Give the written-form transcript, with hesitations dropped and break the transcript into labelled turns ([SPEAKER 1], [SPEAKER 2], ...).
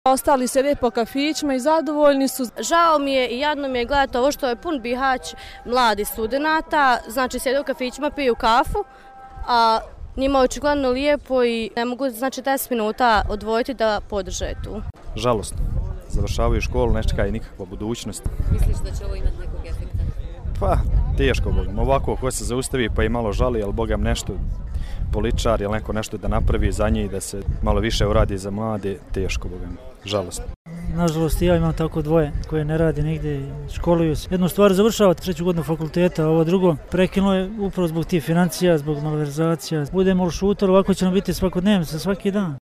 [SPEAKER 1] Ostali sede po kafićima i zadovoljni su.
[SPEAKER 2] Žao mi je i jadno mi je gledati ovo što je pun Bihać mladi studenata, znači sede u kafićima, piju kafu, a njima je očigledno lijepo i ne mogu 10 minuta odvojiti da podrže tu.
[SPEAKER 3] Žalosno. Završavaju školu, ne čekaju nikakva budućnost.
[SPEAKER 4] Misliš da će ovo imati nekog efekta?
[SPEAKER 3] Pa, teško, bogam. Ovako, ko se zaustavi pa i malo žali, ali bogam nešto političar ili neko nešto da napravi za njih, da se malo više uradi za mlade, teško, bogam. Žalosno.
[SPEAKER 5] Nažalost, ja imam tako dvoje koje ne radi nigde, školuju se. Jednu stvar završava 3. godinu fakulteta, a ovo drugo prekinulo je upravo zbog tih financija, zbog malverzacija. Budemo li šutali, ovako će nam biti svakodnevno, svaki dan.